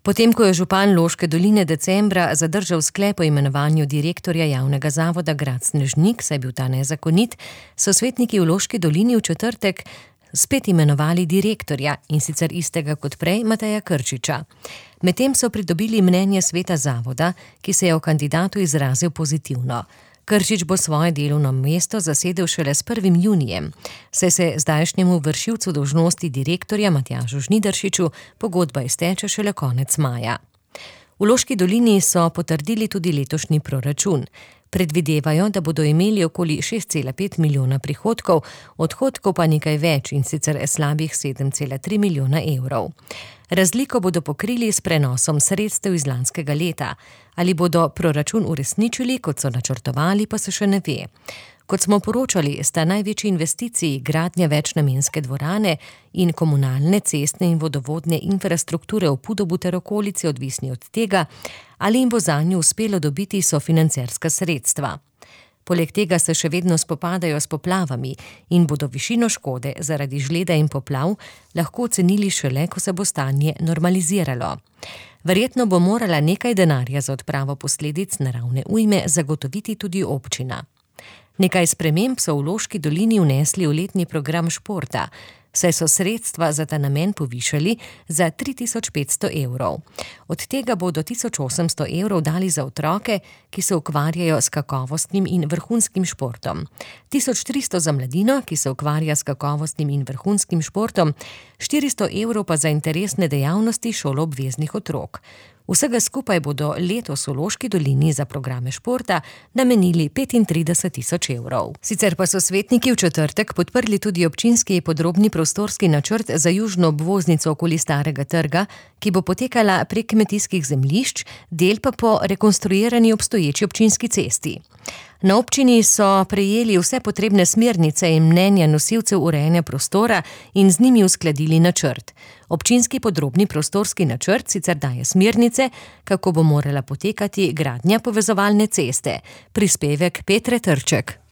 Potem, ko je župan Loške doline decembra zadržal sklep o imenovanju direktorja javnega zavoda Grad Snežnik, saj je bil ta nezakonit, so svetniki v Loški dolini v četrtek spet imenovali direktorja, in sicer istega kot prej, Mateja Krčiča. Medtem so pridobili mnenje sveta zavoda, ki se je o kandidatu izrazil pozitivno. Krčič bo svoje delovno mesto zasedel šele s 1. junijem, saj se zdajšnjemu vršilcu dolžnosti direktorja Matjažu Žnidaršiču pogodba izteče šele konec maja. V Loški dolini so potrdili tudi letošnji proračun. Predvidevajo, da bodo imeli okoli 6,5 milijona prihodkov, odhodkov pa nekaj več, in sicer slabih 7,3 milijona evrov. Razliko bodo pokrili s prenosom sredstev iz lanskega leta. Ali bodo proračun uresničili, kot so načrtovali, pa se še ne ve. Kot smo poročali, sta največji investiciji gradnja večnamenske dvorane in komunalne, cestne in vodovodne infrastrukture v Podobu ter okolici odvisni od tega, ali jim bo zanju uspelo dobiti sofinancerska sredstva. Poleg tega se še vedno spopadajo s poplavami in bodo višino škode zaradi žleda in poplav lahko ocenili šele, ko se bo stanje normaliziralo. Verjetno bo morala nekaj denarja za odpravo posledic naravne ujme zagotoviti tudi občina. Nekaj sprememb so v Loški dolini vnesli v letni program športa, saj so sredstva za ta namen povišali za 3.500 evrov. Od tega bodo 1.800 evrov dali za otroke, ki se ukvarjajo s kakovostnim in vrhunskim športom. 1.300 za mladino, ki se ukvarja s kakovostnim in vrhunskim športom, 400 evrov pa za interesne dejavnosti šoloobveznih otrok. Vsega skupaj bodo letos v Loški dolini za programe športa namenili 35.000 evrov. Sicer pa so svetniki v četrtek podprli tudi občinski podrobni prostorski načrt za južno obvoznico okoli Starega trga, ki bo potekala prek kmetijskih zemljišč, del pa po rekonstruirani obstoječi občinski cesti. Na občini so prejeli vse potrebne smernice in mnenja nosilcev urejanja prostora in z njimi uskladili načrt. Občinski podrobni prostorski načrt sicer daje smernice, kako bo morala potekati gradnja povezovalne ceste. Prispevek Petre Trček.